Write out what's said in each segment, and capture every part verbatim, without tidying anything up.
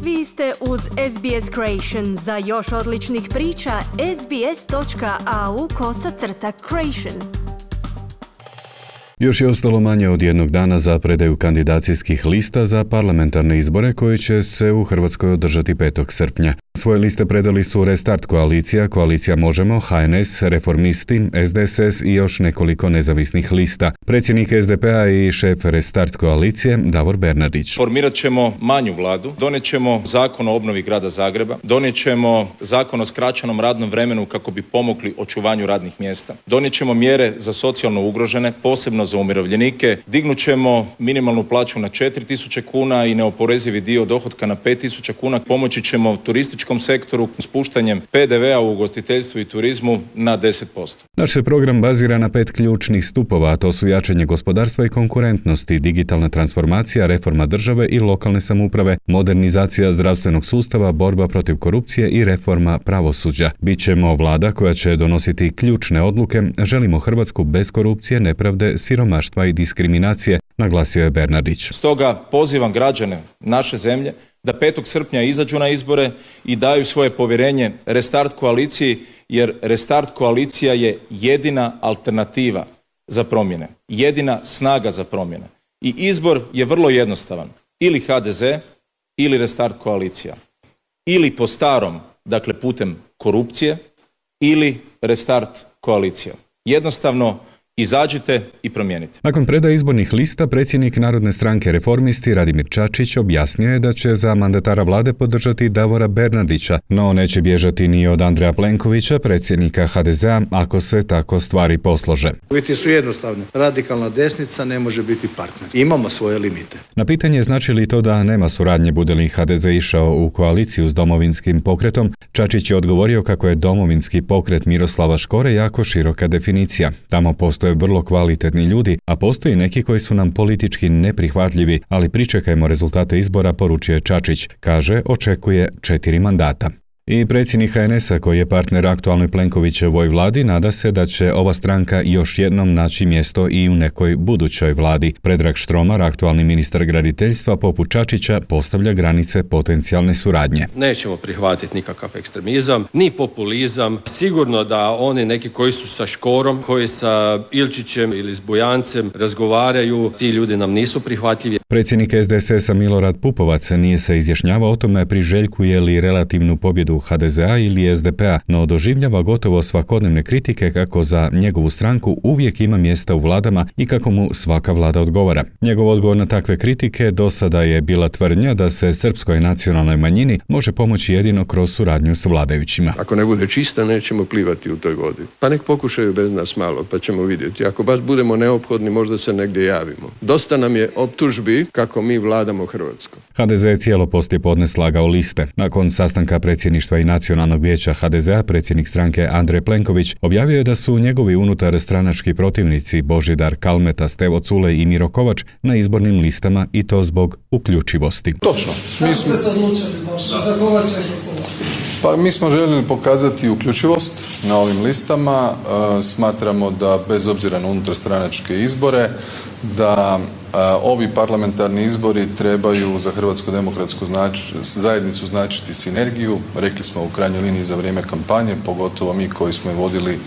Vi ste uz S B S Creation. Za još odličnih priča, sbs.au kosacrta creation. Još je ostalo manje od jednog dana za predaju kandidacijskih lista za parlamentarne izbore koji će se u Hrvatskoj održati petog srpnja. Svoje liste predali su Restart koalicija, Koalicija Možemo, H N S, Reformisti, S D S S i još nekoliko nezavisnih lista. Predsjednik S D P-a i šef Restart koalicije Davor Bernardić. Formirat ćemo manju vladu, donijet ćemo zakon o obnovi grada Zagreba, donijet ćemo zakon o skraćenom radnom vremenu kako bi pomogli očuvanju radnih mjesta, donijet ćemo mjere za socijalno ugrožene, posebno za umirovljenike, dignut ćemo minimalnu plaću na četiri tisuće kuna i neoporezivi dio dohotka na pet tisuća kuna, pomoći ćemo turističkom sektoru spuštanjem P D V-a u ugostiteljstvu i turizmu na deset posto. Naš se program bazira na pet ključnih stupova, a to su jačanje gospodarstva i konkurentnosti, digitalna transformacija, reforma države i lokalne samouprave, modernizacija zdravstvenog sustava, borba protiv korupcije i reforma pravosuđa. Bićemo vlada koja će donositi ključne odluke, želimo Hrvatsku bez korupcije, nepravde, siromaštva i diskriminacije, naglasio je Bernardić. Stoga pozivam građane naše zemlje da petog srpnja izađu na izbore i daju svoje povjerenje Restart koaliciji, jer Restart koalicija je jedina alternativa za promjene, jedina snaga za promjene. I izbor je vrlo jednostavan. Ili H D Z, ili Restart koalicija. Ili po starom, dakle putem korupcije, ili Restart koalicija. Jednostavno, izađite i promijenite. Nakon predaje izbornih lista, predsjednik Narodne stranke Reformisti Radimir Čačić objasnio je da će za mandatara vlade podržati Davora Bernardića, no neće bježati ni od Andreja Plenkovića, predsjednika H D Z-a, ako se tako stvari poslože. Uvjeti su jednostavni. Radikalna desnica ne može biti partner. Imamo svoje limite. Na pitanje znači li to da nema suradnje bude li H D Z išao u koaliciju s Domovinskim pokretom, Čačić je odgovorio kako je Domovinski pokret Miroslava Škore jako široka definicija. Tamo postoje vrlo kvalitetni ljudi, a postoji neki koji su nam politički neprihvatljivi, ali pričekajmo rezultate izbora, poručuje Čačić. Kaže, očekuje četiri mandata. I predsjednik H N S-a koji je partner aktualnoj Plenkovićevoj vladi nada se da će ova stranka još jednom naći mjesto i u nekoj budućoj vladi. Predrag Štromar, aktualni ministar graditeljstva poput Čačića, postavlja granice potencijalne suradnje. Nećemo prihvatiti nikakav ekstremizam, ni populizam. Sigurno da oni neki koji su sa Škorom, koji sa Ilčićem ili s Bujancem razgovaraju, ti ljudi nam nisu prihvatljivi. Predsjednik S D S S-a Milorad Pupovac nije se izjašnjavao o tome priželjkuje li relativnu pobjedu H D Z-a ili S D P-a, no doživljava gotovo svakodnevne kritike kako za njegovu stranku uvijek ima mjesta u vladama i kako mu svaka vlada odgovara. Njegov odgovor na takve kritike do sada je bila tvrdnja da se srpskoj nacionalnoj manjini može pomoći jedino kroz suradnju s vladajućima. Ako ne bude čista, nećemo plivati u toj vodi. Pa nek pokušaju bez nas malo, pa ćemo vidjeti. Ako baš budemo neophodni, možda se negdje javimo. Dosta nam je optužbi kako mi vladamo Hrvatskom. H D Z je cijelo poslijepodne slagao liste. Nakon sastanka predsjedništva i Nacionalnog vijeća H D Z-a, predsjednik stranke Andrej Plenković objavio je da su njegovi unutar stranački protivnici Božidar Kalmeta, Stevo Culej i Miro Kovač na izbornim listama i to zbog uključivosti. Točno. Mi smo se odlučili baš za Kovača i Pa mi smo željeli pokazati uključivost na ovim listama. E, smatramo da bez obzira na unutarstranačke izbore, da e, ovi parlamentarni izbori trebaju za Hrvatsku demokratsku znač, zajednicu značiti sinergiju. Rekli smo u krajnjoj liniji za vrijeme kampanje, pogotovo mi koji smo je vodili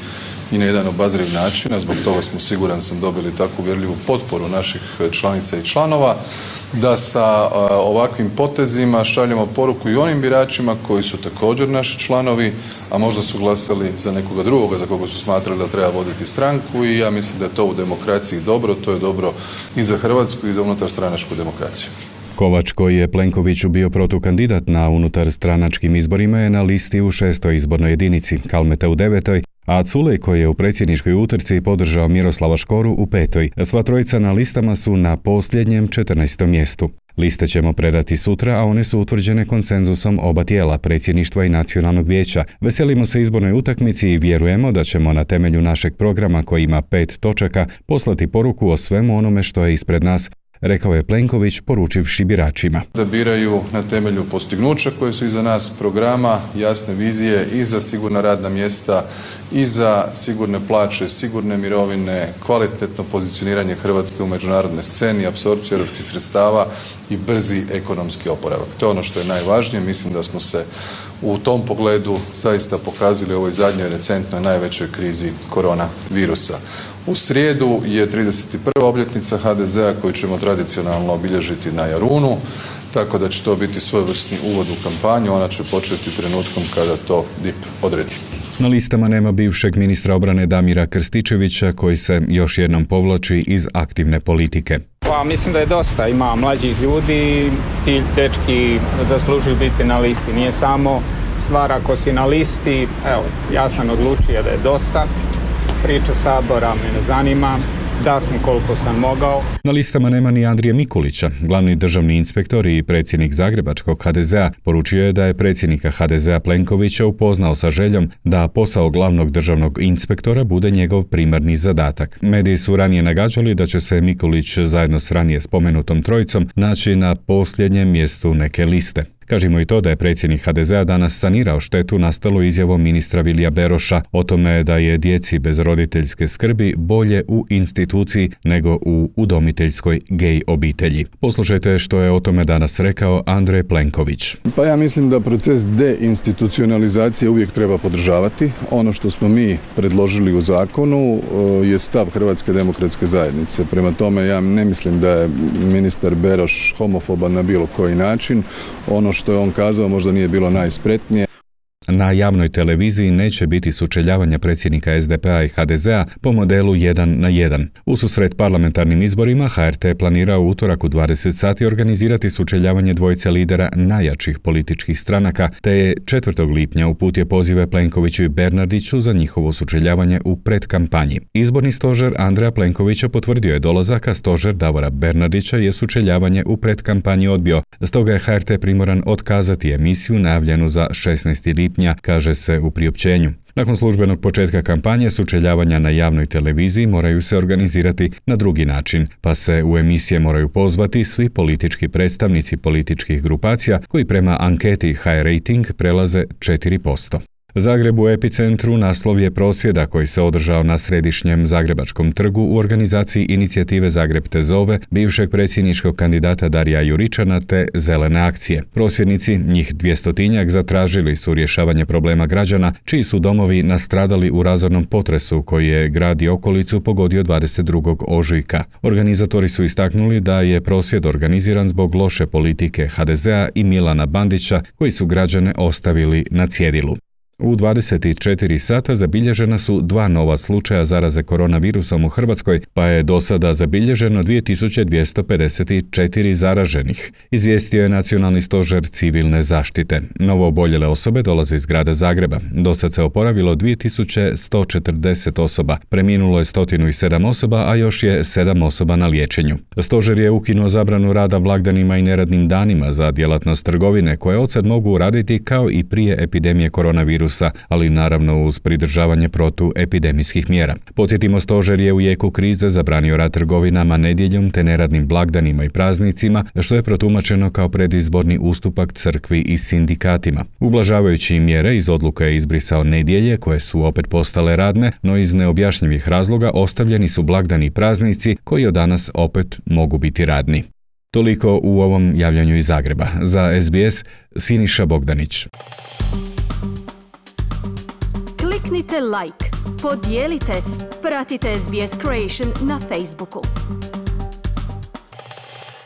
i na jedan obazriv način, a zbog toga smo, siguran sam, dobili takvu uvjerljivu potporu naših članica i članova, da sa a, ovakvim potezima šaljemo poruku i onim biračima koji su također naši članovi, a možda su glasali za nekoga drugoga za koga su smatrali da treba voditi stranku, i ja mislim da je to u demokraciji dobro, to je dobro i za Hrvatsku i za unutarstranačku demokraciju. Kovač, koji je Plenkoviću bio protukandidat na unutar stranačkim izborima, je na listi u šestoj izbornoj jedinici, Kalmeta u devetoj, a Culej, koji je u predsjedničkoj utrci podržao Miroslava Škoru, u petoj. Sva trojica na listama su na posljednjem četrnaestom mjestu. Liste ćemo predati sutra, a one su utvrđene konsenzusom oba tijela, predsjedništva i Nacionalnog vijeća. Veselimo se izbornoj utakmici i vjerujemo da ćemo na temelju našeg programa, koji ima pet točaka, poslati poruku o svemu onome što je ispred nas, rekao je Plenković, poručivši biračima. Da biraju na temelju postignuća koje su iza nas, programa, jasne vizije i za sigurna radna mjesta, i za sigurne plaće, sigurne mirovine, kvalitetno pozicioniranje Hrvatske u međunarodnoj sceni, apsorpciju europskih sredstava i brzi ekonomski oporavak. To je ono što je najvažnije. Mislim da smo se u tom pogledu zaista pokazali u ovoj zadnjoj recentnoj najvećoj krizi koronavirusa. U srijedu je trideset prva obljetnica ha de zea koju ćemo tradicionalno obilježiti na Jarunu, tako da će to biti svojevrsni uvod u kampanju. Ona će početi trenutkom kada to D I P odredi. Na listama nema bivšeg ministra obrane Damira Krstičevića koji se još jednom povlači iz aktivne politike. Pa mislim da je dosta, ima mlađih ljudi, ti dečki zaslužuju biti na listi. Nije samo stvar ako si na listi, evo, ja sam odlučio da je dosta. Priča Sabora me ne zanima, da sam koliko sam mogao. Na listama nema ni Andrije Mikulića. Glavni državni inspektor i predsjednik Zagrebačkog ha de zea poručio je da je predsjednika ha de zea Plenkovića upoznao sa željom da posao glavnog državnog inspektora bude njegov primarni zadatak. Mediji su ranije nagađali da će se Mikulić zajedno s ranije spomenutom trojicom naći na posljednjem mjestu neke liste. Kažimo i to da je predsjednik ha de zea danas sanirao štetu nastalu izjavom ministra Vilija Beroša o tome da je djeci bez roditeljske skrbi bolje u instituciji nego u udomiteljskoj gej obitelji. Poslušajte što je o tome danas rekao Andrej Plenković. Pa ja mislim da proces deinstitucionalizacije uvijek treba podržavati. Ono što smo mi predložili u zakonu je stav Hrvatske demokratske zajednice. Prema tome ja ne mislim da je ministar Beroš homofoban na bilo koji način. Ono što je on kazao možda nije bilo najspretnije. Na javnoj televiziji neće biti sučeljavanja predsjednika es de pe a i ha de zea po modelu jedan na jedan. Ususret parlamentarnim izborima ha er te planira u utorak u dvadeset sati organizirati sučeljavanje dvojice lidera najjačih političkih stranaka, te je četvrtog lipnja uputio pozive Plenkoviću i Bernardiću za njihovo sučeljavanje u predkampanji. Izborni stožer Andreja Plenkovića potvrdio je dolazak, a stožer Davora Bernardića je sučeljavanje u predkampanji odbio. Stoga je ha er te primoran otkazati emisiju najavljenu za šesnaesti lipnja, kaže se u priopćenju. Nakon službenog početka kampanje, sučeljavanja na javnoj televiziji moraju se organizirati na drugi način, pa se u emisije moraju pozvati svi politički predstavnici političkih grupacija koji prema anketi ha er Rating prelaze četiri posto. Zagreb u epicentru naslov je prosvjeda koji se održao na središnjem Zagrebačkom trgu u organizaciji inicijative Zagreb te zove, bivšeg predsjedničkog kandidata Darija Juričana te Zelene akcije. Prosvjednici, njih dvjestotinjak, zatražili su rješavanje problema građana čiji su domovi nastradali u razornom potresu koji je grad i okolicu pogodio dvadeset drugog ožujka. Organizatori su istaknuli da je prosvjed organiziran zbog loše politike ha de zea i Milana Bandića koji su građane ostavili na cjedilu. U dvadeset četiri sata zabilježena su dva nova slučaja zaraze koronavirusom u Hrvatskoj, pa je do sada zabilježeno dvije tisuće dvjesto pedeset četiri zaraženih, izvijestio je Nacionalni stožer civilne zaštite. Novo oboljele osobe dolaze iz grada Zagreba. Do sad se oporavilo dvije tisuće sto četrdeset osoba, preminulo je sto sedam osoba, a još je sedam osoba na liječenju. Stožer je ukinuo zabranu rada blagdanima i neradnim danima za djelatnost trgovine, koje odsad mogu raditi kao i prije epidemije koronavirusa, ali naravno uz pridržavanje protuepidemijskih mjera. Podsjetimo, stožer je u jeku krize zabranio rad trgovinama nedjeljom te neradnim blagdanima i praznicima, što je protumačeno kao predizborni ustupak crkvi i sindikatima. Ublažavajući mjere iz odluke je izbrisao nedjelje, koje su opet postale radne, no iz neobjašnjivih razloga ostavljeni su blagdani i praznici koji od danas opet mogu biti radni. Toliko u ovom javljanju iz Zagreba. Za es be es, Siniša Bogdanić. Kliknite like, podijelite, pratite es be es Creation na Facebooku.